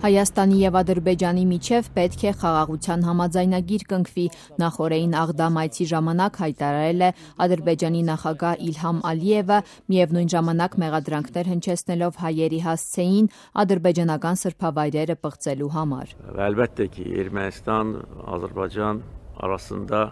Հայաստանի և Ադրբեջանի միջև պետք է խաղաղության համաձայնագիր կնքվի, նախօրեին Աղդամ այցի ժամանակ հայտարարել է Ադրբեջանի նախագահ Իլհամ Ալիևը, միևնույն ժամանակ մեղադրանքներ հնչեցնելով հայերի հասցեին ադրբեջանական սրբավայրերը պղծելու համար։ Əlbəttə ki, Ermənistan-Azərbaycan arasında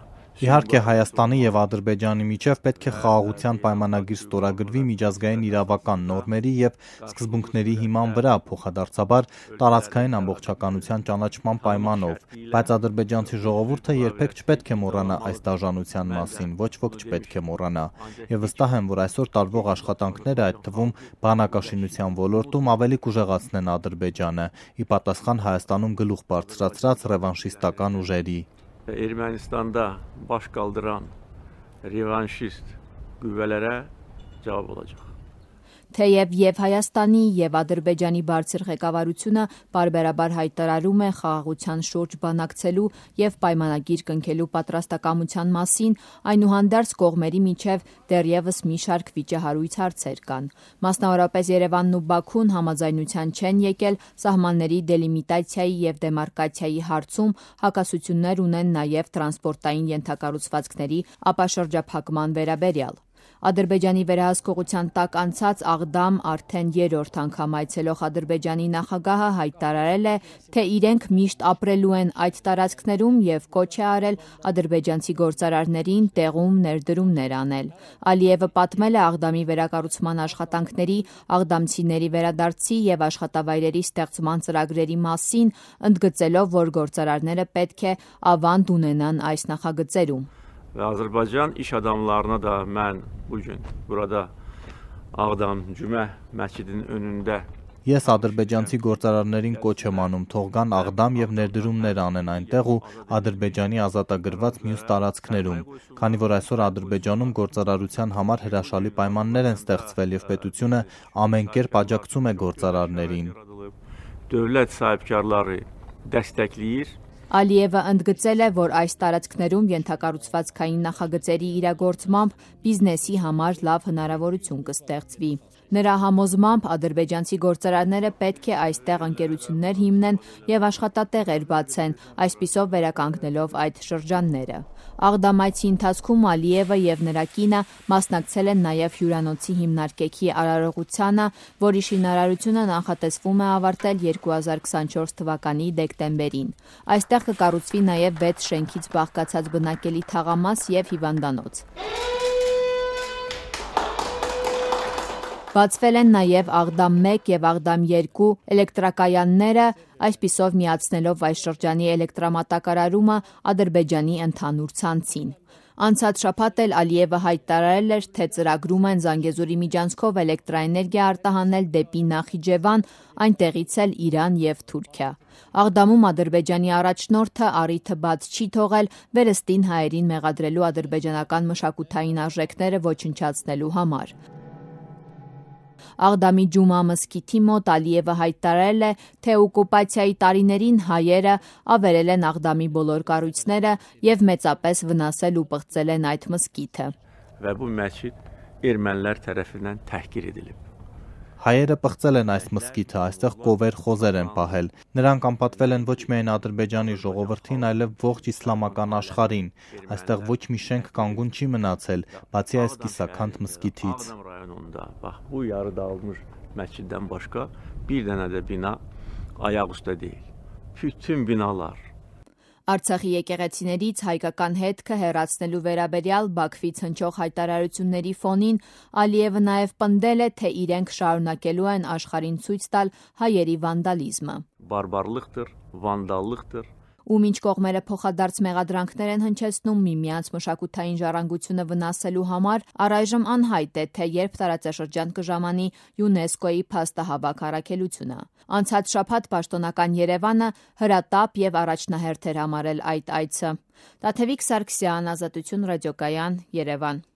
Իհարկե Հայաստանի և Ադրբեջանի միջև պետք է խաղաղության պայմանագիր ստորագրվի միջազգային իրավական նորմերի և սկզբունքների հիման վրա, փոխադարձաբար տարածքային ամբողջականության ճանաչման պայմանով, բայց ադրբեջանցի ժողովուրդը երբեք չպետք է մոռանա այս դաժանության մասին, ոչ ոք չպետք է մոռանա, և վստահ եմ, որ այսօր տարվող աշխատանքները, այդ թվում բանակաշինության ոլորտում ավելի կուժեղացնեն Ադրբեջանը, ի պատասխան Հայաստանում գլուխ բարձրացրած ռևանշիստական ուժերի։ Ermənistanda baş qaldıran revanşist qüvvələrə cavab olacaq։ Թեև և Հայաստանի և Ադրբեջանի բարձր ղեկավարությունը պարբերաբար հայտարարում է խաղաղության շուրջ բանակցելու և պայմանագիր կնքելու պատրաստակամության մասին, այնուհանդերձ կողմերի միջև դեռևս մի շարք վիճահարույց հարցեր կան։ Մասնավորապես Երևանն ու Բաքուն համաձայնության չեն եկել սահմանների դելիմիտացիայի և դեմարկացիայի հարցում, հակասություններ ունեն նաև տրանսպորտային ենթակառուցվածքների ապաշրջափակման վերաբերյալ։ Ադրբեջանի վերահսկողության տակ անցած Աղդամ արդեն երրորդ անգամ այցելող Ադրբեջանի նախագահը հայտարարել է, թե իրենք միշտ ապրելու են այդ տարածքներում և կոչ է արել ադրբեջանցի գործարարներին տեղում ներդրումներ անել։ Ալիևը պատմել է Աղդամի վերակառուցման աշխատանքների, աղդամցիների վերադարձի և աշխատավայրերի ստեղծման ծրագրերի մասին, ընդգծելով, որ գործարարները պետք է ավանդ ունենան այս նախագծերում։ Və Azərbaycan iş adamlarına da mən bugün burada Ağdam Cümə məscidinin önündə Ես ադրբեջանցի գործարարներին կոչ եմ անում, թող գան Աղդամ և ներդրումներ անեն այնտեղ ու Ադրբեջանի ազատագրված մյուս տարածքներում, քանի որ այսօր Ադրբեջանում գործարարության համար հրաշալի պայմաններ են ստեղծվել և պետությունը ամեն կերպ աջակցում է գործարարներին։ Dövlət sahibkarları dəstəkləyir։ Ալիևը ընդգծել է, որ այս տարածքներում ենթակառուցվածքային նախագծերի իրագործմամբ բիզնեսի համար լավ հնարավորություն կստեղծվի։ Նրա համոզմամբ ադրբեջանցի գործարարները պետք է այստեղ ընկերություններ հիմնեն և աշխատատեղեր բացեն, այսպիսով վերականգնելով այդ շրջանները։ Աղդամ այցի ընթացքում Ալիևը և նրա կինը մասնակցել են նաև հյուրանոցի հիմնարկեքի արարողությանը, որի շինարարությունը նախատեսվում է ավարտել 2024 թվականի դեկտեմբերին։ Այստեղ կկառուցվի նաև 6 շենքից բաղկացած բնակելի թաղամաս և հիվանդանոց։ Բացվել են նաև Աղդամ 1 և Աղդամ 2 էլեկտրակայանները, այսպիսով միացնելով այս շրջանի էլեկտրամատակարարումը Ադրբեջանի ընդհանուր ցանցին։ Անցած շաբաթ էլ Ալիևը հայտարարել էր, թե ծրագրում են Զանգեզուրի միջանցքով էլեկտրաէներգիա արտահանել դեպի Նախիջևան, այնտեղից էլ Իրան և Թուրքիա։ Աղդամում Ադրբեջանի առաջնորդը առիթը բաց չի թողել վերստին հայերին մեղադրելու ադրբեջանական մշակութային արժեքները ոչնչացնելու համար։ Աղդամի Ջումա մզկիթի մոտ Ալիևը հայտարարել է, թե օկուպացիայի տարիներին հայերը ավերել են Աղդամի բոլոր կառույցները և մեծապես վնասել ու պղծել են այդ մզկիթը։ Və bu məscid ermənilər tərəfindən təhqir edilib։ Հայերը պղծել են այս մզկիթը, այստեղ կովեր խոզեր են պահել։ Նրանք անպատվել են ոչ միայն Ադրբեջանի ժողովրդին, այլև ողջ իսլամական աշխարհին։ Այստեղ ոչ մի շենք կանգուն չի մնացել, բացի այս կիսաքանդ մզկիթից։ Bu yarı dağılmış məsciddən başqa bir dənə də bina ayaq üstə deyil. Bütün binalar Արցախի եկեղեցիներից հայկական հետքը հեռացնելու վերաբերյալ Բաքվից հնչող հայտարարությունների ֆոնին Ալիևը նաև պնդել է, թե իրենք շարունակելու են աշխարհին ցույց տալ հայերի վանդալիզմը։ Բարբարlıqdır, vandallıqdır։ Ու մինչ կողմերը փոխադարձ մեղադրանքներ են հնչեցնում միմյանց մշակութային ժառանգությունը վնասելու համար, առայժմ անհայտ է, թե երբ տարածաշրջան կժամանի ՅՈՒՆԵՍԿՕ-ի փաստահավաք առաքելությունը։ Անցած շաբաթ պաշտոնական Երևանը հրատապ և առաջնահերթ էր համարել այդ այցը։ Տաթևիկ Սարգսյան, Ազատություն ռադիոկայան, Երևան։